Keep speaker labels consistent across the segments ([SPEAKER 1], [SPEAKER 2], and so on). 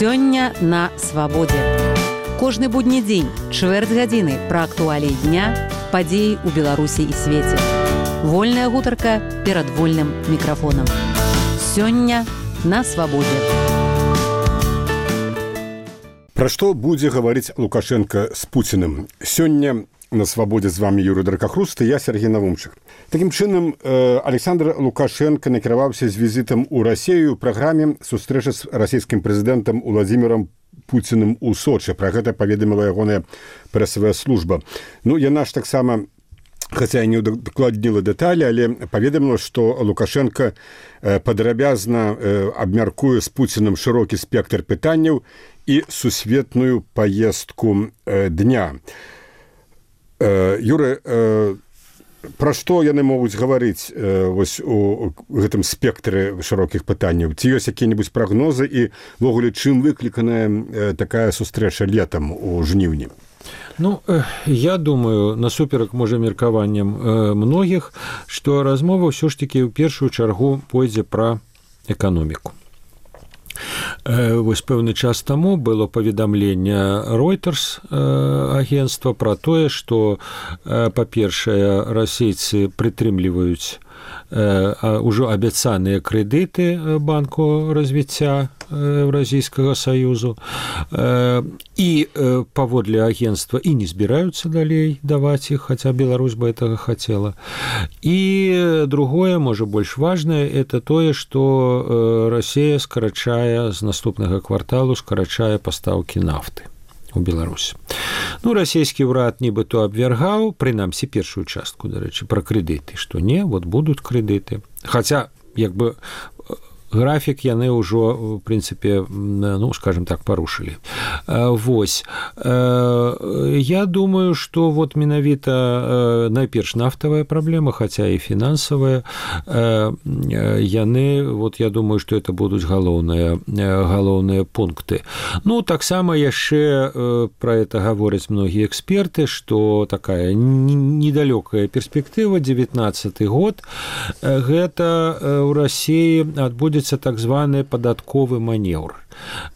[SPEAKER 1] Сёння на свабодзе. Кожны будні дзень, чвэрць гадзіны пра актуаліі дня, падзеі ў Беларусі і свеце. Вольная гутарка перад вольным мікрафонам. Сёння на свабодзе.
[SPEAKER 2] Пра што будзе гаварыць Лукашенко з Пуціным? Сёння на свабодзе з вами Юрый Дракахруст і я Сергей Навумчык. Такім чынам, Александр Лукашенко накіраваўся з візітам у Расію ў праграме сустрэчы з расійскім прэзідэнтам Владзімірам Пуціным у Сочы. Пра гэта паведаміла ягоная прэсавая служба. Яна ж таксама, хаця і не дакладніла дэталі, але паведаміла, што Лукашенко падрабязна абмяркуе з Пуціным шырокі спектр пытанняў і сусветную паездку дня. Юры, пра што яны могуць гаварыць вось у гэтым спектры шырокіх пытанняў? Ці ёсць якія-небудзь прагнозы і, ввогуле, чым выкліканая такая сустрэча летам у жніўні?
[SPEAKER 3] Я думаю, насуперак, можа, меркаванням многіх, што размова ўсё ж такі ў першую чаргу пойдзе пра эканоміку. Вось пэўны час таму было паведамленне Reuters агенцтва пра тое, што, па-першае, расейцы прытрымліваюць ўжо абяцаныя крэдыты банку развіцця Еўразійскага саюзу і паводле агенцтва і не збіраюцца далей даваць іх, хаця Беларусь бы гэтага хацела. І другое, можа, больш важнае, это тое, што Расія скарачае з наступнага кварталу пастаўкі нафты у Беларусь. Расійскі ўрад нібыто абвяргаў, прынамсі першую частку, дарэчы, пра крэдыты, што не, будуць крэдыты. Хаця, графік яны ўжо, в прынцыпе, скажем так, парушылі. Вось. Я думаю, што менавіта найперш нафтавая праблема, хаця і фінансавая, яны, я думаю, што это будуць галоўныя пункты. Таксама яшчэ пра это гавораць многія эксперты, што такая недалёкая перспектыва, 19-й год, гэта ў Расіі адбудзецца так званы падатковы манеўр.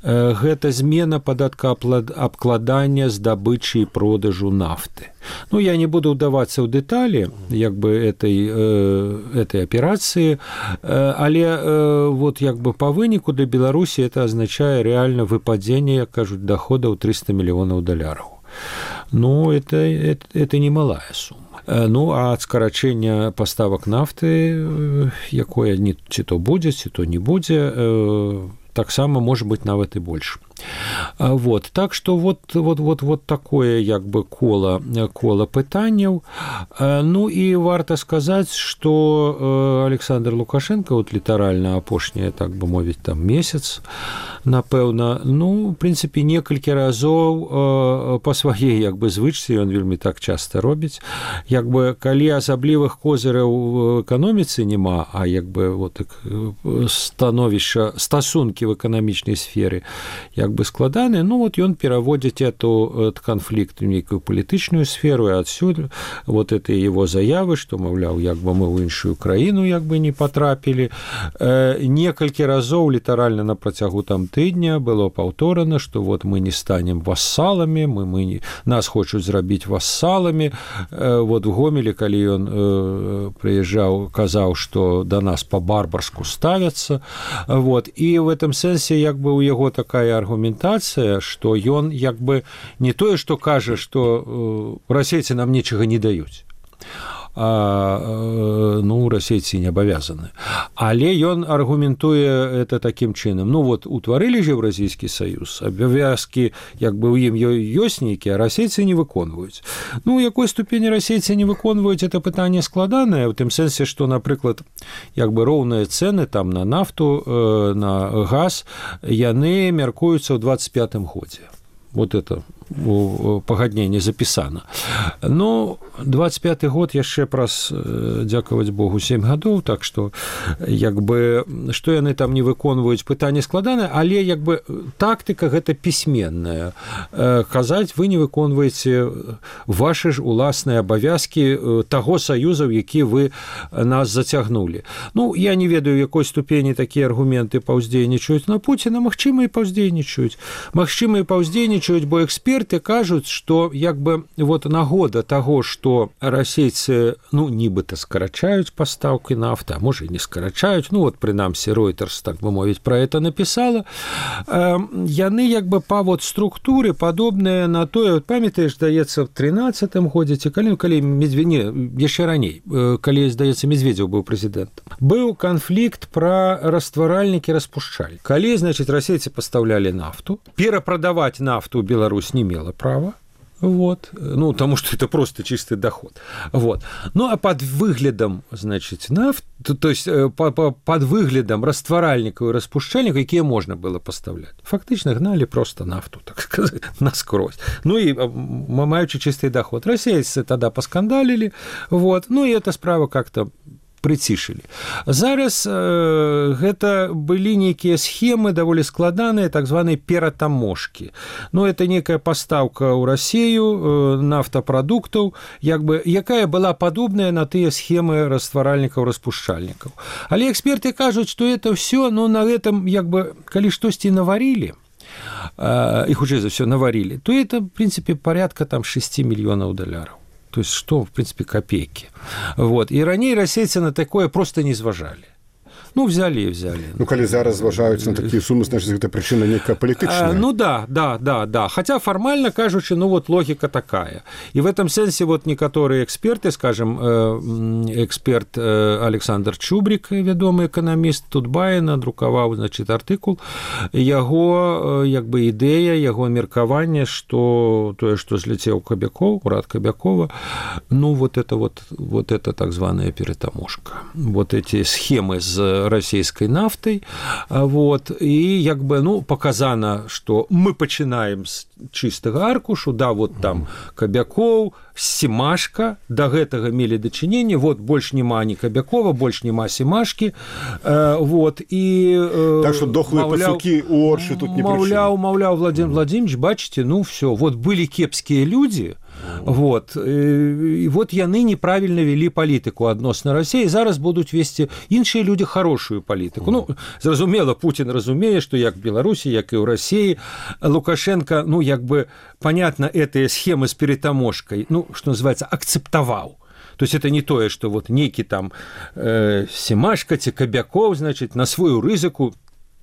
[SPEAKER 3] Гэта змена падаткаабкладання здабычы і продажу нафты. Я не буду ўдавацца ў дэталі этой аперацыі, але па выніку для Беларусі это азначае рэальна выпадзенне, як кажуць, доходаў $300 мільёнаў. Это немалая сума. А ад скарачэння паставак нафты, якое ці то будзе, ці то не будзе, таксама можа быць нават і больш. Так што такое кола пытанняў. І варта сказаць, што Александр Лукашенко літаральна апошняе, так бы мовіць, месяц, напэўна, в прынцыпе, некалькі разоў па сваей звычцы, ён вельмі так часта робіць, калі асаблівых козыраў у эканоміцы няма, а стасункі в эканамічнай сферы складаны, ён пераводзіць этот канфлікт у нейкую палітычную сферу, і адсюль это его заявы, што, маўляў, мы ў іншую краіну не патрапілі. Некалькі разоў літаральна на працягу тыдня было паўторана, што мы не станем вассаламі, нас хочуць зрабіць вассаламі. В Гомелі, калі ён прыязджаў, казаў, што да нас па-барбарску ставяцца. І в этом сэнсе у яго такая аргументацыя, што ён не тое, што кажа, што расейцы нам нічага не даюць, расейцы не абавязаны. Але ён аргументуе это такім чынам. Утварылі ж Еўразійскі саюз, абавязкі ў ім ёсць нейкія, а расейцы не выконваюць. У якой ступені расейцы не выконваюць, это пытанне складанае, у тым сэнсе, што, напрыклад, роўныя цэны там на нафту, на газ, яны мяркуюцца ў 25-м годзе. Это у пагадненні запісана. Ну, 25-й год яшчэ праз, дзякаваць Богу, 7 гадоў, так што, як бы, што яны там не выконваюць, пытанне складанае, але, як бы, тактыка гэта пісьменная. Казаць, вы не выконваеце вашы ж уласныя абавязкі таго саюза, ў які вы нас зацягнулі. Ну, я не ведаю, якой ступені такія аргументы паўздзейнічаюць на Пуціна, магчыма, і паўздзейнічаюць. Магчыма, і паўздзейнічаюць, бо эксперты кажуць, што, як бы, вот нагода таго, што расейцы, ну, нібыта скарачаюць пастаўкі нафты, а можа, і не скарачаюць, ну, вот, прынамсі, Reuters, так бы мовіць, пра гэта напісала, яны, як бы, па вот структуры падобныя на тое, вот, памятаеш, здаецца, в 13-м годзе, ці калі яшчэ раней, калі, здаецца, Медведзеў быў прэзідэнтам, быў канфлікт пра растваральнікі, распушчальнікі. Калі, значыць, расейцы пастаўлялі нафту, перапрадаваць нафту ў Беларусь не мела права, вот, ну, потому что это просто чистый доход, вот. Ну, а под выглядом, значит, нафты, то есть под выглядом растваральников и распушчальников, какие можно было поставлять, фактично гнали просто нафту, так сказать, насквозь. Ну, и маючи чистый доход. Российцы тогда поскандалили, вот, ну, и эта справа как-то прыцішылі. Зараз гэта былі нейкія схемы даволі складаныя, так званыя ператаможкі. Ну, это некая пастаўка ў Расею нафтапрадуктаў, як бы, якая была падобная на тыя схемы растваральнікаў, распушчальнікаў. Але эксперты кажуць, што это ўсё, ну, на гэтым, як бы, калі штосьці наварілі, і хутчэй за ўсё наварілі, то это, в принципе, порядка там 6 мільёнаў долараў. То есть, что, в принципе, копейки. Вот. И ранее расейцы на такое просто не зважали. Ну, взяли и взяли.
[SPEAKER 2] Ну, калі зараз зважаюцца на такія сумы, значит, гэта прычына некая палітычная.
[SPEAKER 3] Ну, да. Хотя формально кажучи, ну, вот логика такая. И в этом сенсе вот некоторые эксперты, скажем, эксперт Александр Чубрик, вядомы эканаміст, Тутбай надрукаваў, значит, артыкул, яго, як бы, ідэя, яго меркаванне, што тое, што зляцеў Кабякоў, урад Кабякова, ну, вот это так званая перетаможка. Вот эти схемы з расійскай нафтай, вот, і, як бы, ну, показана, што мы пачынаем з чыстага аркушу, да, вот там Кабякоў, Семашка, да гэтага мелі дачыненне, вот, больш няма ні Кабякова, больш няма Семашкі, вот, і...
[SPEAKER 2] Так што дохлыя пацукі у Оршы тут не прычына.
[SPEAKER 3] Маўляў, Владимир Владимирович, бачыце, ну, все, вот, былі кепскія людзі, вот, і вот яны неправільна вялі палітыку адносна Расіі, зараз будуць весці іншыя людзі хорошую палітыку. Ну, зразумела, Путін разумее, што як в Беларусі, як і ў Расіі, Лукашенко, ну, як бы, понятно, этыя схемы з перетаможкай, ну, что называется, акцептаваў. То есть это не тое, што вот нейкі там Семашка ці Кабякоў, значит, на сваю рызыку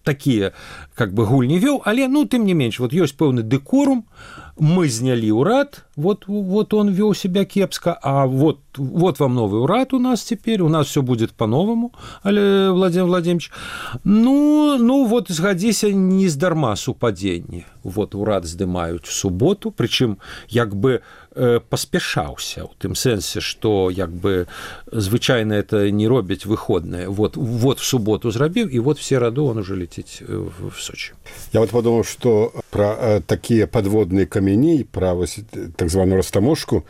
[SPEAKER 3] такія, как бы, гульні вёў, але, ну, тым не менш, вот ёсць пэўны дэкорум, мы знялі ўрад, вот он вёў себя кепска, а вот вам новый урад у нас теперь, у нас все будет по-новому, але Владимир Владимирович, ну вот, згадзіся, не здарма супадзенне. Вот урад здымаюць в суботу, причым, як бы, паспяшаўся, у тым сэнсе, што, як бы, звычайна это не робяць выходнае. Вот в суботу зрабіў, і вот в сераду он уже летіць в Сочи.
[SPEAKER 2] Я вот подумал, что про такие подводные камені, про так званую растаможку,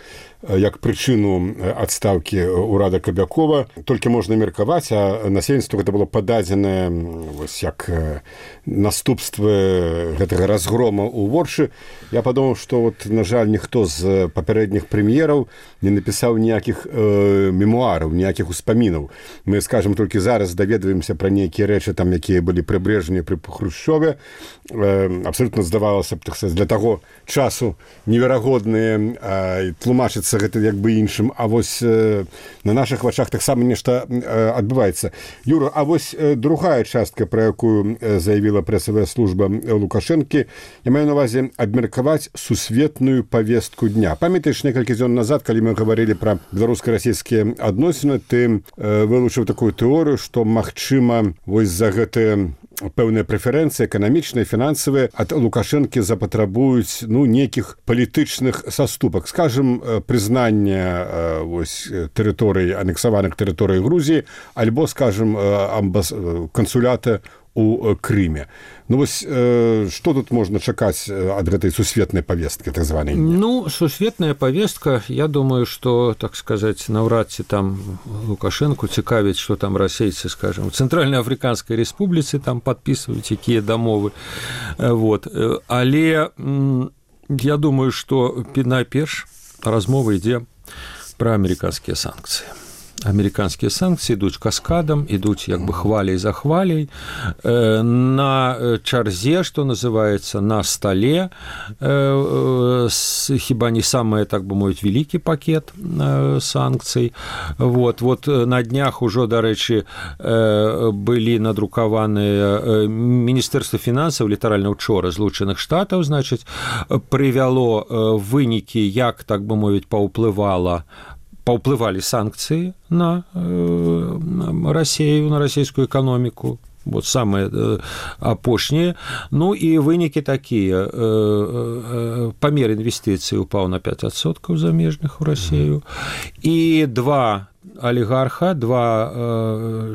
[SPEAKER 2] як прычыну адстаўкі ўрада Кабякова, толькі можна меркаваць, а насельніцтву гэта было пададзенае як наступствы гэтага разгрома ў Воршы. Я падумаў, што, вот, на жаль, ніхто з папярэдніх прэм'ераў не напісаў ніякіх мемуараў, ніякіх успамінаў. Мы, скажем, толькі зараз даведваемся пра нейкія рэчы, там, якія былі пры Брэжневе, пры Хрушчове. Абсолютно здавалася б, для таго часу неверагодныя, тлумачыцца гэта як бы іншым, а вось на нашых вачах таксама нешта адбываецца. Юра, а вось другая частка, пра якую заявіла прэсавая служба Лукашэнкі, я маю на ўвазе абмеркаваць сусветную павестку дня. Памятаеш, некалькі дзён назад, калі мы гаварылі пра беларуска-расійскія адносіны, ты вылучыў такую тэорыю, што, магчыма, вось за гэтыя пэўныя прэферэнцыі эканамічныя, фінансавыя ад Лукашэнкі запатрабуюць, ну, нейкіх палітычных саступак, скажем, прызнання вось тэрыторый, анексаваных тэрыторый Грузіі, альбо, скажем, кансулята у Крыме. Ну вось што тут можна чакаць ад гэтай сусветнай павесткі так званай?
[SPEAKER 3] Ну, сусветная павестка, я думаю, што, так сказаць, наўрад ці там Лукашэнку цікавіць, што там расейцы, скажем, у Цэнтральна-Афрыканскай Рэспубліцы там падпісваюць якія дамовы. Вот. Але я думаю, што найперш размова ідзе пра амерыканскія санкцыі. Амерыканскія санкцыі ідуць каскадам, ідуць як бы хваляй за хваляй, на чарзе, што называецца, на стале, хіба не самае, так бы мовіць, вялікі пакет санкцый. Вот на днях ужо, дарэчы, былі надрукаваныя Міністэрства фінансаў, літаральна ўчора, Злучаных Штатаў, значыць, прывяло вынікі, як, так бы мовіць, паўплывалі санкцыі на Расію, на расійскую эканоміку, вот самыя апошнія. Ну і вынікі такія. Памер інвестыцый упаў на 5% замежных у Расію. І два олигарха, два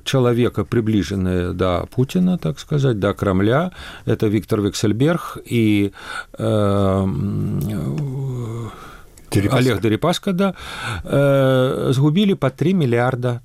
[SPEAKER 3] человека, приближенные до Путина, так сказать, до Кремля, это Виктор Вексельберг и Олег Дерипаска, да, згубілі па $3 мільярда.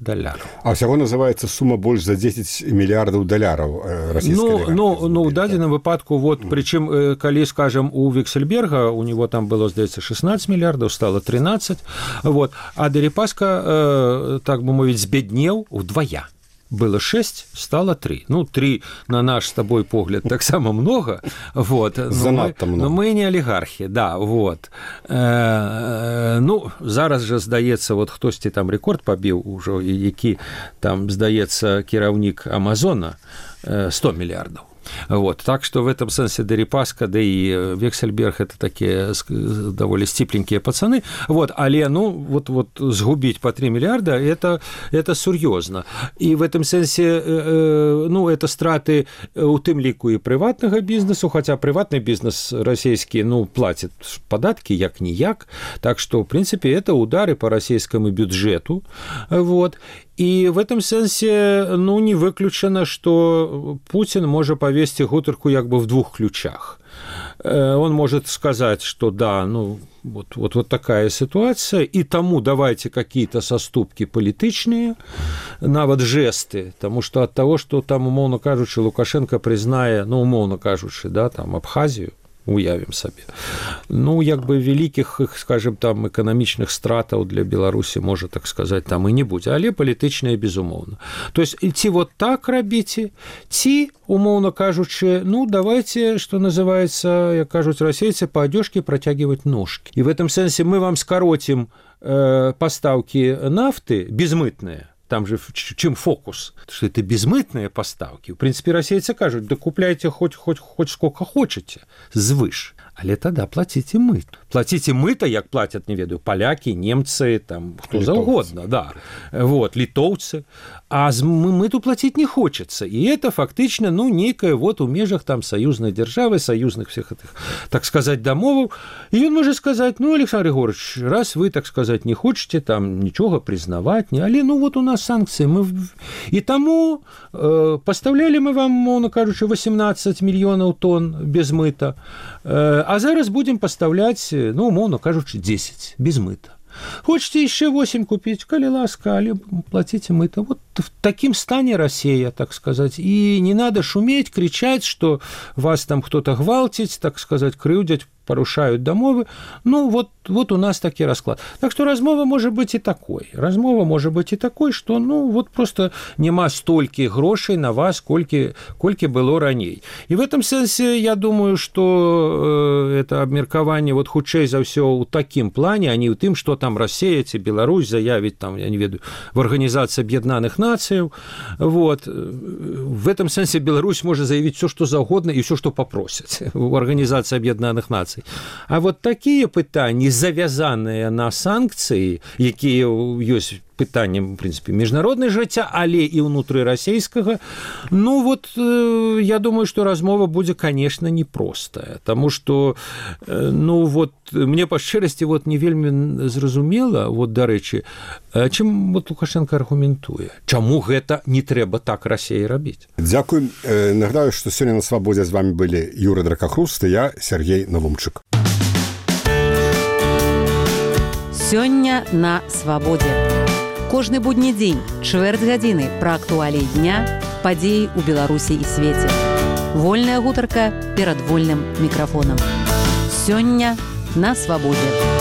[SPEAKER 2] А ўсяго называецца сума больш за $10 мільярдаў расійскай олігархіі.
[SPEAKER 3] Ну, ў дадзеным выпадку, вот, прычым, калі, скажем, у Вексельберга, у него там было, здаецца, 16 мільярдаў, стало 13, вот, а Дерипаска, так бы мовіць, збеднеў удвая. Было 6, стало 3. Ну, 3 на наш с тобой погляд так само много, вот. Но мы не олигархи, да, вот. Ну, зараз же, здаецца, вот хтосьці там рэкорд пабіў ужо, які там, здаецца, кіраўнік Амазона 100 мільярдаў. Вот. Так что в этом смысле Дерипаска, да и Вексельберг это такие довольно стипленькие пацаны. Вот. Але, ну, вот сгубить по 3 миллиарда это серьезно. И в этом смысле, ну, это страты у тым ліку и приватного бизнесу, хотя приватный бизнес российский, ну, платит податки як-ніяк. Так что, в принципе, это удары по российскому бюджету. Вот. И в этом сенсе, ну, не выключено, что Путин может повесить гутарку как бы в двух ключах. Он может сказать, что да, ну, вот такая ситуация, и тому давайте какие-то соступки політичные, нават жесты, потому что от того, что там, умовно кажучи, Лукашенко признае, ну, умовно кажучи, да, там, Абхазию, уявім сабе. Ну, як бы вялікіх, скажем, там, эканамічных стратаў для Беларусі, можа, так сказаць, там і не будзе, але палітычныя, безумоўна. То есть, ці вот так рабіце, ці, умоўно кажучы, ну, давайте, что называется, як кажуць расейцы, по одежке протягивать ножки. И в этом сенсе мы вам скоротим поставки нафты безмытные. Там же чем фокус, что это безмытные поставки. В принципе, расейцы кажут, да купляйте хоть сколько хотите, звыш. Але тогда платите мыто. Платите мыто, як платят, не ведаю, поляки, немцы, там, кто угодно, да. Вот, литовцы. А мыту платить не хочется. И это фактично, ну, некое вот у межах там союзной державы, союзных всех этих, так сказать, домов. И он может сказать, ну, Александр Егорович, раз вы, так сказать, не хотите там ничего признавать, але, ну, вот у нас санкции. И тому поставляли мы вам, мовно кажучи, 18 миллионов тонн без мыта. А зараз будем поставлять, ну, умовно кажучи, 10 без мыта. Хочете еще 8 купить, коли ласка, але платите мыто. Вот в таким стане Россия, так сказать. И не надо шуметь, кричать, что вас там кто-то гвалтить, так сказать, крыўдзяць, порушают домовы. Ну, вот у нас такі расклад. Так что размова может быть и такой. Размова может быть и такой, что, ну, вот просто нема столькі грошей на вас, колькі было раней. И в этом сенсе, я думаю, что это абмеркаванне вот хутчэй за ўсё ў такім плане, а не ў тым, что там Россия ці Беларусь заявіць, там, я не ведаю, в Организации Объединенных Наций. Вот. В этом сенсе Беларусь может заявить все, что угодно и все, что попросят в Организации Объединенных Наций. А вот такие пытания, завязанные на санкции, якія ёсць пытаннем, в прынцыпе, міжнароднай жыцця, але і ўнутрырасійскага. Ну вот я думаю, што размова будзе, конечно, непростая, таму што ну вот мне па шчырасці вот не вельмі зразумела, вот дарэчы, чым вот Лукашенко аргументуе, чаму гэта не трэба так Расіі рабіць.
[SPEAKER 2] Дзякуй. Нагадаю, што сёння на свабодзе з вами былі Юрий Дракахруст і я, Сергей Навумчык.
[SPEAKER 1] Сёння на свабодзе. Кожны будні дзень, чвэрць гадзіны пра актуаліі дня, падзеі ў Беларусі і свеце. Вольная гутарка перад вольным мікрафонам. Сёння на свабодзе.